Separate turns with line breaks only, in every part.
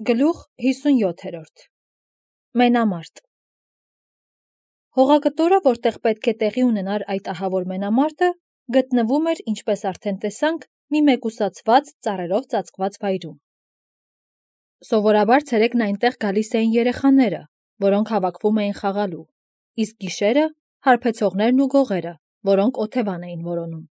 Գլուխ 57 Մենամարտ Հողակտորը, որտեղ պետք է տեղի ունենար այդ ահավոր մենամարտը, գտնվում էր, ինչպես արդեն տեսանք, մի մեկուսացված ծառերով ծածկված վայրում։ Սովորաբար ցերեկն այնտեղ գալիս էին երեխաները, որոնք հավաքվում էին խաղալու, իսկ գիշերը հարբեցողներն ու գողերը, որոնք օթևան էին որոնում։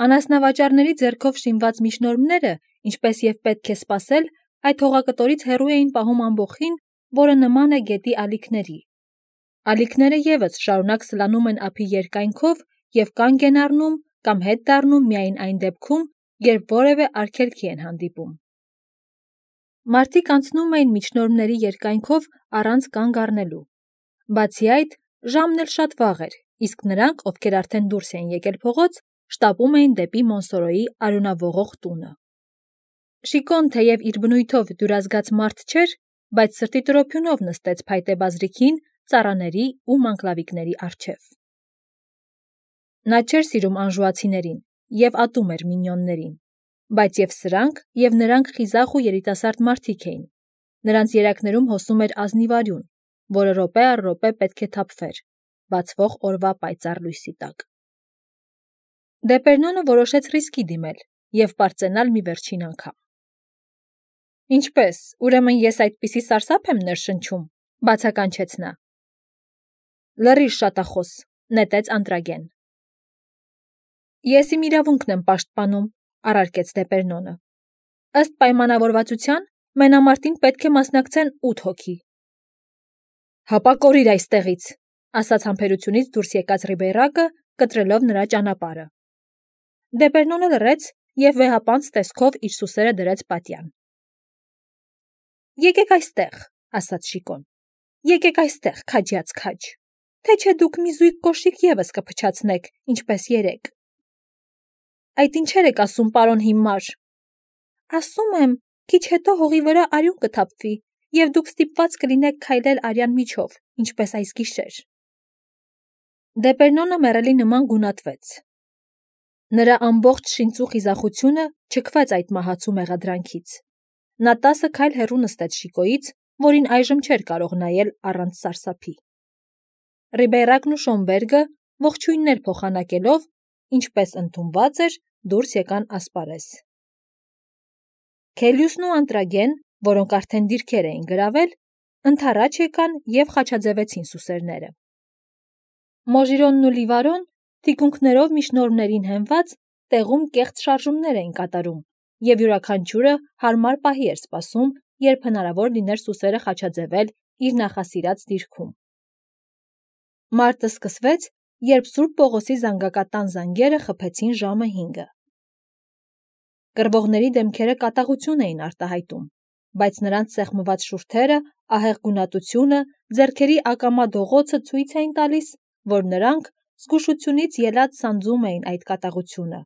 Անասնավաճառների ձեռքով շինված միջնորմները, ինչպես և պետք է սպասել, այդ հողակտորից հեռու էին պահում ամբոխին, որը նման է գետի ալիքների։ Ալիքները ևս շարունակ սլանում են ափի երկայնքով և կանգ են առնում կամ հետ դառնում միայն այն դեպքում, երբ որևէ արգելքի են հանդիպում։ Մարդիկ անցնում էին միջնորմների երկայնքով առանց կանգ առնելու։ Բացի այդ, ժամն էլ շատ վաղ էր, իսկ նրանք, ովքեր արդեն դուրս էին եկել փողոց, շտապում էին դեպի Մոնսորոյի արյունավորող տունը։ Շիկոն, թեև իր բնույթով դյուրազգաց մարդ չէր, բայց սրտի տրոփյունով նստեց փայտե բազրիքին, ծառաների ու մանկլավիկների առջև։ Նա չէր սիրում անժուացիներին և ատում էր մինյոններին, բայց և սրանք, և նրանք խիզախ ու երիտասարդ մարդիկ էին։ Նրանց երակներում հոսում էր ազնիվ արյուն, որը րոպե առ րոպե պետք է թափվեր, բացվող օրվա պայծառ լույսի տակ։ Դեպերնոնը որոշեց ռիսկի դիմել և պարծենալ մի վերջին անգամ։ Ինչպե՞ս, ուրեմն ես այդպիսի սարսափ եմ ներշնչում, բացականչեց նա։ Լռիր, շատախոս, նետեց Անտրագեն։ Ես իմ իրավունքն եմ պաշտպանում, առարկեց Դեպերնոնը։ Ըստ պայմանավորվածության, մենամարտին պետք է մասնակցեն 8 հոգի։ Հապա կորիր այստեղից, ասաց համբերությունից դուրս եկած Ռիբեյրակը, կտրելով նրա ճանապարհը։ Դեպերնոնը լռեց և վեհապանծ տեսքով իր սուսերը դրեց պատյան։ Եկեք այստեղ, ասաց Շիկոն։ Եկեք այստեղ, քաջյաց քաջ, թե չէ դուք մի զույգ կոշիկ ևս կփչացնեք, ինչպես երեկ։ Այդ ինչեր եք ասում, պարոն հիմար։ Ասում եմ, քիչ հետո հողի վրա արյուն կթափվի, և դուք ստիպված կլինեք քայլել արյան միջով, ինչպես այս գիշեր։ Դեպերնոնը մեռելի նման գունատվեց։ Նրա ամբողջ շինծու խիզախությունը չքվեց այդ մահացու մեղադրանքից։ Նա 10 քայլ հեռու նստեց Շիկոյից, որին այժմ չէր կարող նայել առանց սարսափի։ Ռիբեյրակն ու Շոմբերգը, ողջույններ փոխանակելով, ինչպես ընդունված էր, դուրս եկան ասպարեզ։ Քելյուսն ու Անտրագեն, որոնք արդեն դիրքեր էին գրավել, ընդառաջ եկան և խաչաձևեցին սուսերները։ Մոժիրոնն ու Լիվարոն, թիկունքներով միջնորմներին հենված, տեղում կեղծ շարժումներ էին կատարում, և յուրաքանչյուրը հարմար պահի էր սպասում, երբ հնարավոր լիներ սուսերը խաչաձևել իր նախասիրած դիրքում։ Մարտը սկսվեց, երբ Սուրբ Պողոսի զանգակատան զանգերը խփեցին ժամը 5-ը։ Կռվողների դեմքերը կատաղություն էին արտահայտում, բայց նրանց սեղմված շուրթերը, ահեղ գունատությունը, ձեռքերի ակամա դողոցը ցույց էին տալիս, որ նրանք զգուշությունից ելած սանձում էին այդ կատաղությունը,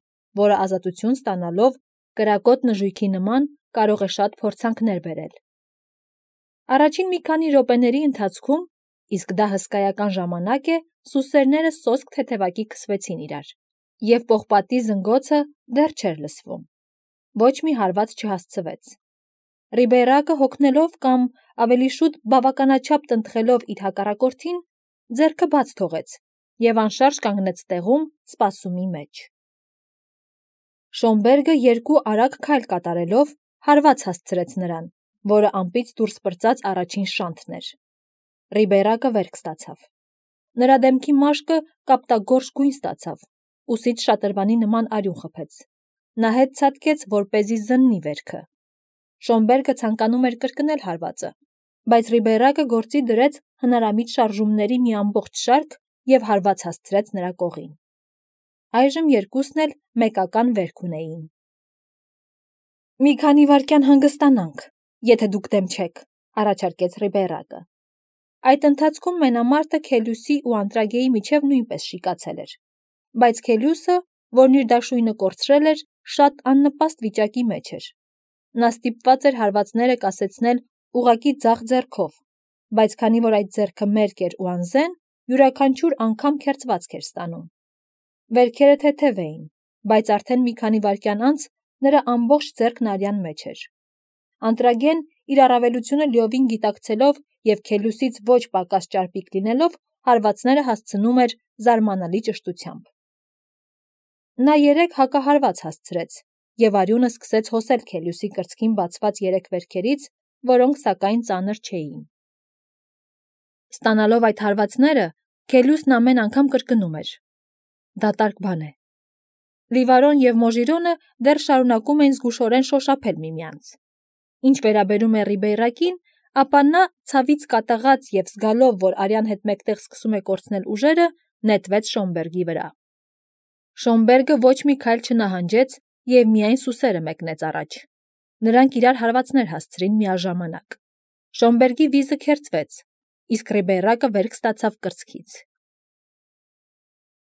որը ազատություն ստանալով կրակոտ նժույգի նման կարող է շատ փորձանքներ բերել։ Առաջին մի քանի րոպեների ընթացքում, իսկ դա հսկայական ժամանակ է, սուսերները սոսկ թեթևակի քսվեցին իրար, և պողպատի զնգոցը դեռ չէր լսվում։ Ոչ մի հարված չհասցվեց։ Ռիբեյրակը հոգնելով կամ ավելի շուտ բավականաչափ տնտղելով իր հակառակորդին, ձեռքը բաց թողեց և անշարժ կանգնեց տեղում, սպասումի մեջ։ Շոմբերգը 2 արագ քայլ կատարելով հարված հասցրեց նրան, որը ամպից դուրս պրծած առաջին շանթն էր։ Ռիբեյրակը վերք ստացավ։ Նրա դեմքի մաշկը կապտագորշ գույն ստացավ, ուսից շատրվանի նման արյուն խփեց։ Նա հետ ցատկեց, որպեսզի զննի վերքը։ Շոմբերգը ցանկանում էր կրկնել հարվածը, բայց Ռիբեյրակը գործի դրեց հնարամիտ շարժումների մի ամբողջ շարք և հարված հասցրեց նրա կողին։ Այժմ երկուսն էլ մեկական վերք ունեին։ Մի քանի վայրկյան հանգստանանք, եթե դուք դեմ չեք, առաջարկեց Ռիբեյրակը։ Այդ ընթացքում մենամարտը Քելյուսի ու Անտրագեի միջև նույնպես շիկացել էր, բայց Քելյուսը, որն իր դաշույնը կորցրել էր, շատ աննպաստ վիճակի մեջ էր։ Նա ստիպված էր հարվածները կասեցնել ուղղակի ձախ ձեռքով, բայց քանի որ այդ ձեռքը մերկ էր ու անզեն, յուրաքանչյուր անգամ քերծվածք էր ստանում։ Վերքերը թեթև էին, բայց արդեն մի քանի վայրկյան անց նրա ամբողջ ձեռքն արյան մեջ էր։ Անտրագեն իր առավելությունը լիովին գիտակցելով և Քելյուսից ոչ պակաս ճարպիկ լինելով, հարվածները հասցնում էր զարմանալի ճշտությամբ։ Նա 3 հակահարված հասցրեց, և արյունը սկսեց հոսել Քելյուսի կրծքին բացված 3 վերքերից, որոնք սակայն ծանր չէին։ Ստանալով այդ հարվածները, Քելյուսն ամեն անգամ կրկնում էր. «Դատարկ բան է»։ Լիվարոն և Մոժիրոնը դեռ շարունակում էին զգուշորեն շոշափել միմյանց։ Ինչ վերաբերում է Ռիբեյրակին, ապա նա, ցավից կատաղած և զգալով, որ արյան հետ մեկտեղ սկսում է կորցնել ուժերը, նետվեց Շոմբերգի վրա։ Շոմբերգը ոչ մի քայլ չնահանջեց և միայն սուսերը մեկնեց առաջ։ Նրանք իրար հարվածներ հասցրին միաժամանակ։ Շոմբերգի վիզը քերծվեց, իսկ Ռիբեյրակը վերք ստացավ կրծքից։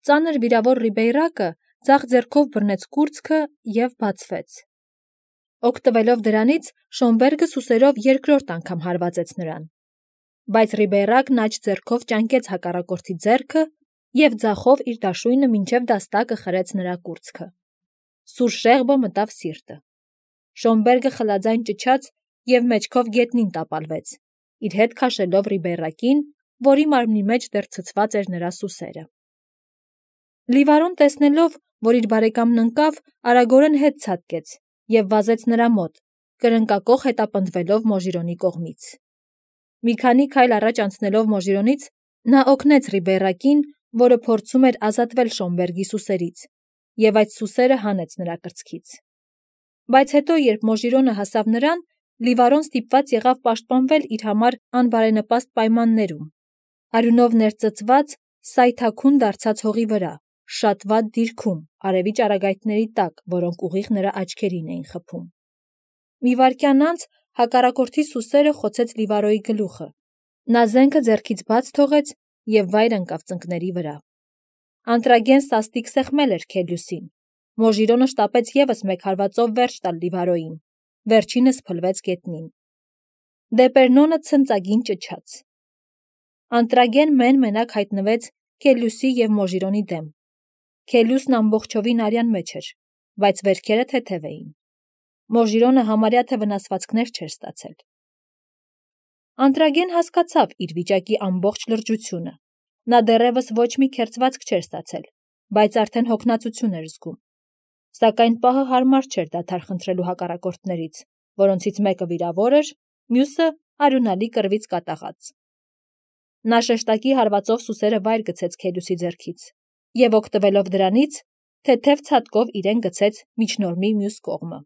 Ծանր վիրավոր Ռիբեյրակը ձախ ձեռքով բռնեց կուրծքը և բացվեց։ Օգտվելով դրանից, Շոմբերգը սուսերով երկրորդ անգամ հարվածեց նրան։ Բայց Ռիբեյրակն աջ ձեռքով ճանկեց հակառակորդի ձեռքը և ձախով իր դաշույնը մինչև դաստակը խրեց նրա կուրծքը։ Սուր շեղբը մտավ սիրտը։ Շոմբերգը խլաձայն ճչաց և մեջքով գետնին տապալվեց, իր հետ քաշելով Ռիբեյրակին, որի մարմնի մեջ դեռ ցցված էր նրա սուսերը։ Լիվարոն տեսնելով, որ իր բարեկամն ընկավ, արագորեն հետ ցատկեց և վազեց նրա մոտ, կրնկակոխ հետապնդվելով Մոժիրոնի կողմից։ Մի քանի քայլ առաջ անցնելով Մոժիրոնից, նա օգնեց Ռիբեյրակին, որը փորձում էր ազատվել Շոմբերգի սուսերից, և այդ սուսերը հանեց նրա կրծքից։ Բայց հետո, երբ Մոժիրոնը հասավ նրան, Լիվարոն ստիպված եղավ պաշտպանվել իր համար անբարենպաստ պայմաններում, արյունով ներծծված, սայթաքուն դարձած հողի վրա, շատ վատ դիրքում, արևի ճառագայթների տակ, որոնք ուղիղ նրա աչքերին էին խփում։ Մի վայրկյան անց հակառակորդի սուսերը խոցեց Լիվարոյի գլուխը։ Նա զենքը ձեռքից բաց թողեց և վայր ընկավ ծնկների վրա։ Անտրագեն սաստիկ սեղմել էր Քելյուսին։ Մոժիրոնը շտապեց ևս մեկ հարվածով վերջ տալ Լիվարոյին։ Վերջինս փլվեց գետնին։ Դեպերնոնը ցնծագին ճչաց։ Անտրագեն մեն-մենակ հայտնվեց Քելյուսի և Մոժիրոնի դեմ։ Քելյուսն ամբողջովին արյան մեջ էր, բայց վերքերը թեթև էին։ Մոժիրոնը համարյա թե վնասվածքներ չէր ստացել։ Անտրագեն հասկացավ իր վիճակի ամբողջ լրջությունը։ Նա դեռևս ոչ մի քերծվածք չէր ստացել, բայց արդեն հոգնածություն էր զգում։ Սակայն պահը հարմար չէր դադար խնդրելու հակառակորդներից, որոնցից մեկը վիրավոր էր, մյուսը արյունալի կռվից կատաղած։ Նա շեշտակի հարվածով սուսերը վայր գցեց Քելյուսի ձեռքից և, օգտվելով դրանից, թեթև ցատկով իրեն գցեց միջնորմի մյուս կողմը։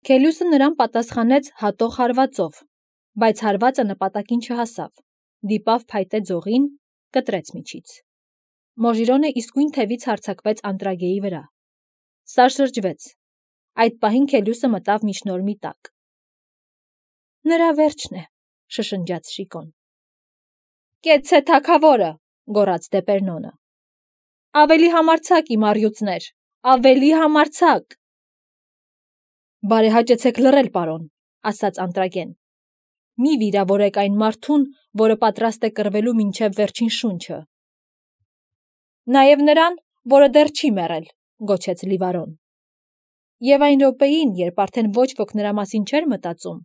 Քելյուսը նրան պատասխանեց հատող հարվածով, բայց հարվածը նպատակին չհասավ, դիպավ փայտե ձողին, կտրեց միջից։ Մոժիրոնը իսկույն թևից հարձակվեց Անտրագեի վրա։ Սա շրջվեց։ Այդ պահին Քելյուսը մտավ միջնորմի տակ։ «Նրա վերջն է», շշնջաց Շիկոն։ «Կեցցե թագավորը», գոռաց Դեպերնոնը։ «Ավելի համարձակ, իմ առյուծներ, ավելի համարձակ»։ «Բարեհաճեցեք լռել, պարոն», ասաց Անտրագեն։ «Մի վիրավորեք այն մարդուն, որը պատրաստ է կռվելու մինչև վերջին շունչը»։ «Նաև նրան, որը դեռ չի մեռել», գոչեց Լիվարոն։ Եվ այն րոպեին, երբ արդեն ոչ ոք նրա մասին չէր մտածում,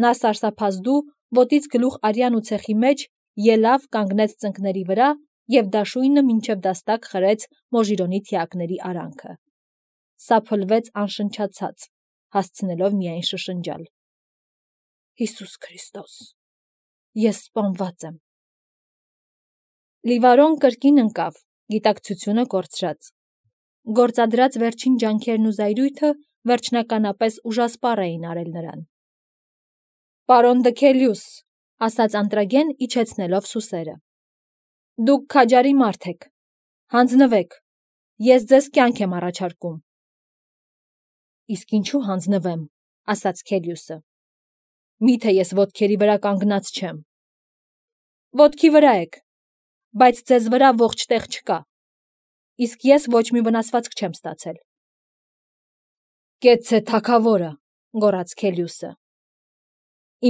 նա սարսափազդու, ոտից գլուխ արյան ու ցեխի մեջ, ելավ, կանգնեց ծնկների վրա և դաշույնը մինչև դաստակ խրեց Մոժիրոնի թիակների արանքը։ Սա փլվեց անշնչացած, հասցնելով միայն շշնջալ. «Հիսուս Քրիստոս, ես սպանված եմ»։ Լիվարոն կրկին ընկավ, գիտակցությունը կորցրած։ Գործադրած վերջին ջանքերն ու զայրույթը վերջնականապես ուժասպառ էին արել նրան։ «Պարոն դը Քելյուս», ասաց Անտրագեն, իջեցնելով սուսերը։ «Դուք քաջարի մարդ եք։ Հանձնվեք, ես ձեզ կյանք եմ առաջարկում»։ «Իսկ ինչու հանձնվեմ», ասաց Քելյուսը։ «Միթե ես ոտքերի վրա կանգնած չեմ»։ «Ոտքի վրա եք, բայց ձեզ վրա ողջ տեղ չկա, իսկ ես ոչ մի վնասվածք չեմ ստացել»։ «Կեցցե թագավորը», գոռաց Քելյուսը։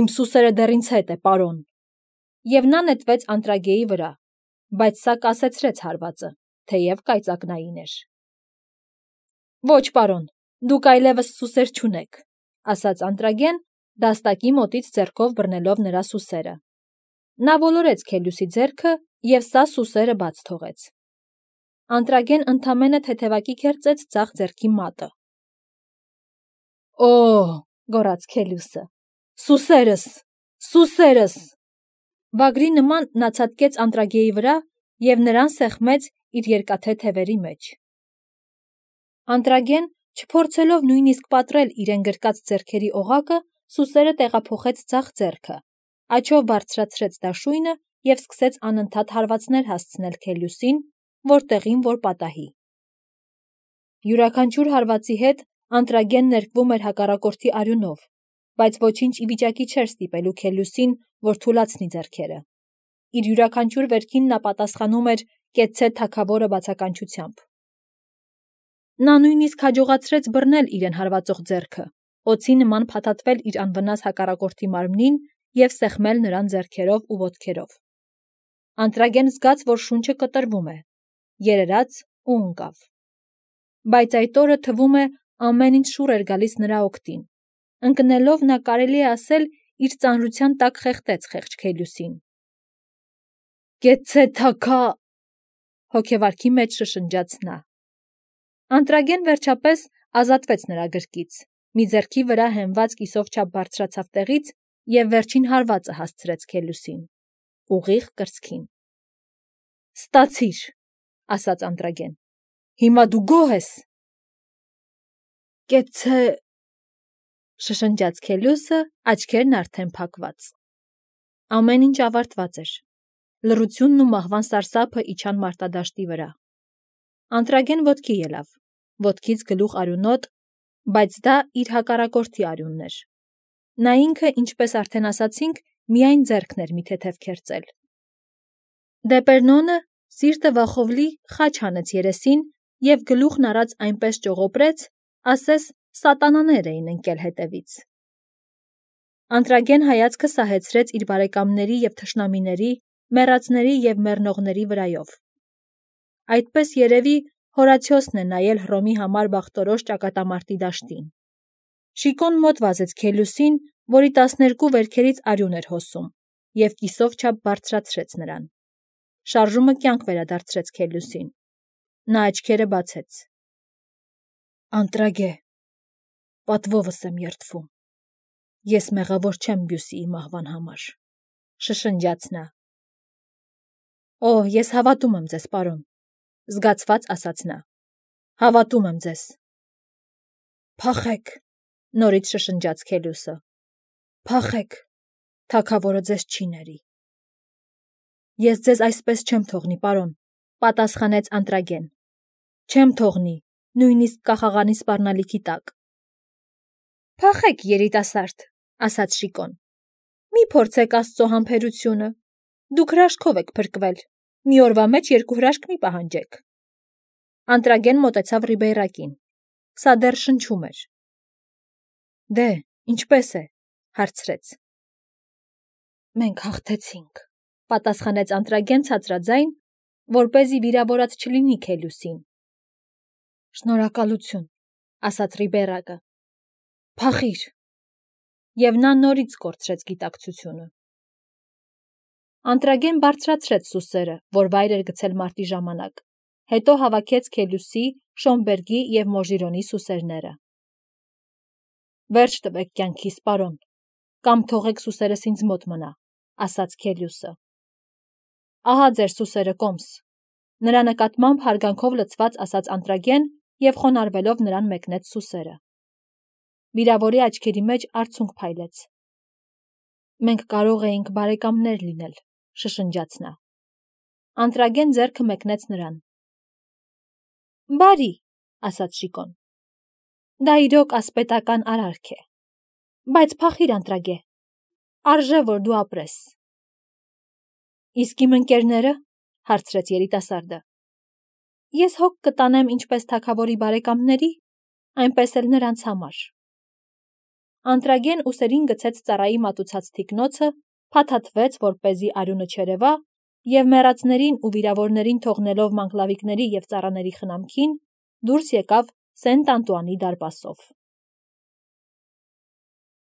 «Իմ սուսերը դեռ ինձ հետ է, պարոն»։ Եվ նա նետվեց Անտրագեի վրա, բայց սա կասեցրեց հարվածը, թեև կայծակնային էր։ «Ոչ, պարոն, դուք այլևս սուսեր չունեք», ասաց Անտրագեն դաստակի մոտից ձեռքով բռնելով նրա սուսերը։ Նա ոլորեց Քելյուսի ձեռքը և սա սուսերը բաց թողեց։ Անտրագեն ընդամենը թեթևակի քերծեց ձախ ձեռքի մատը։ «Օ՜», գոռաց Քելյուսը, «սուսերս, սուսերս»։ Վագրի նման նա ցատկեց Անտրագեի վրա և նրան սեղմեց իր երկաթե թևերի մեջ։ Անտրագեն, չփորձելով նույնիսկ պատռել իրեն գրկած ձեռքերի օղակը, սուսերը տեղափոխեց ձախ ձեռքը, աջով բարձրացրեց դաշույնը և սկսեց անընդհատ հարվածներ հասցնել Քելյուսին, որտեղին որ պատահի։ Յուրաքանչյուր հարվածի հետ Անտրագեն ներկվում էր հակառակորդի արյունով, բայց ոչինչ ի վիճակի չէր ստիպելու Քելյուսին, որ թուլացնի ձեռքերը։ Իր յուրաքանչյուր վերքին նա պատասխանում էր կեցցե թագավորը բացականչությամբ։ Նա նույնիսկ հաջողացրեց բռնել իրեն հարվածող ձեռքը, օձի նման փաթաթվել իր անվնաս հակառակորդի մարմնին և սեղմել նրան ձեռքերով ու ոտքերով։ Անտրագեն զգաց, որ շունչը կտրվում է, երերաց ու ընկավ։ Բայց այդ օրը թվում է ամեն ինչ շուռ էր գալիս նրա օգտին։ Ընկնելով նա, կարելի է ասել, իր ծանրության տակ խեղդեց խեղճ Քելյուսին։ «Կեցցե թագա», հոգևարքի մեջ շշնջաց նա։ Անտրագեն վերջապես ազատվեց նրա գրկից, մի ձեռքի վրա հենված կիսով չափ բարձրացավ տեղից և վերջին հարվածը հասցրեց Քելյուսին, ուղիղ կրծքին։ «Ստացիր», ասաց Անտրագեն, «հիմա դու գոհ ես»։ «Կեցցե», շշնջաց Քելյուսը, աչքերն արդեն փակված։ Ամեն ինչ ավարտված էր։ Լռությունն ու մահվան սարսափը իջան մարտադաշտի վրա։ Անտրագեն ոտքի ելավ, ոտքից գլուխ արյունոտ, բայց դա իր հակառակորդի արյունն էր։ Նա ինքը, ինչպես արդեն ասացինք, միայն ձեռքն էր մի թեթև քերծել։ Դեպերնոնը, սիրտը վախովլի, խաչ հանեց երեսին և գլուխն արած այնպես ճողոպրեց, ասես սատանաներ էին ընկել հետևից։ Անտրագեն հայացքը սահեցրեց իր բարեկամների և թշնամիների, մեռածների և մեռնողների վրայով։ Այդպես երևի Հորացիոսն է նայել Հռոմի համար բախտորոշ ճակատամարտի դաշտին։ Շիկոն մոտ վազեց Քելյուսին, որի 12 վերքերից արյուն էր հոսում, և կիսով չափ բարձրացրեց նրան։ Շարժումը կյանք վերադարձրեց Քելյուսին։ Նա աչքերը բացեց։ «Անտրագե, պատվովս եմ երդվում։ Ես մեղավոր չեմ Բյուսիի մահվան համար», շշնջաց նա։ «Օ, ես հավատում եմ ձեզ, պարոն», զգացված ասաց նա։ «Հավատում եմ ձեզ»։ «Փախեք», նորից շշնջաց Քելյուսը։ «Փախեք, թագավորը ձեզ չի ների»։ «Ես ձեզ այսպես չեմ թողնի, պարոն», պատասխանեց Անտրագեն։ «Չեմ թողնի, նույնիսկ կախաղանի սպառնալիքի տակ»։ «Փախեք, երիտասարդ», ասաց Շիկոն։ «Մի փորձեք Աստծո համբերությունը։ Դուք հրաշքով եք փրկվել, մի օրվա մեջ 2 հրաշք մի պահանջեք»։ Անտրագեն մոտեցավ Ռիբեյրակին։ Սա դեռ շնչում էր։ «Դե, ինչպես է», հարցրեց։ «Մենք հաղթեցինք», պատասխանեց Անտրագեն ցածրաձայն, որպեսզի վիրավորած չլինի Քելյուսին։ «Շնորհակալություն», ասաց Ռիբեյրակը։ «Փախիր»։ Եվ նա նորից կորցրեց գիտակցությունը։ Անտրագեն բարձրացրեց սուսերը, որ վայր էր գցել մարտի ժամանակ, հետո հավաքեց Քելյուսի, Շոմբերգի և Մոժիրոնի սուսերները։ «Վերջ տվեք կյանքիս, պարոն, կամ թողեք սուսերս ինձ մոտ մնա», ասաց Քելյուսը։ «Ահա ձեր սուսերը, կոմս», նրա նկատմամբ հարգանքով լցված ասաց Անտրագեն և խոնարհվելով նրան մեկնեց սուսերը։ Վիրավորի աչքերի մեջ արցունք փայլեց։ «Մենք կարող էինք բարեկամներ լինել», շշնջաց նա։ Անտրագեն ձեռքը մեկնեց նրան։ «Բարի», ասաց Շիկոն։ «Դա իրոք ասպետական արարք է։ Բայց փախիր, Անտրագե, արժե, որ դու ապրես»։ «Իսկ իմ ընկերները», հարցրեց երիտասարդը։ «Ես հոգ կտանեմ ինչպես թագավորի բարեկամների, այնպես էլ նրանց համար»։ Անտրագեն ուսերին գցեց ծառայի մատուցած թիկնոցը, փաթաթվեց, որպեսզի արյունը չերևա, և մեռածներին ու վիրավորներին թողնելով մանկլավիկների և ծառաների խնամքին, դուրս եկավ Սենտ Անտուանի դարպասով։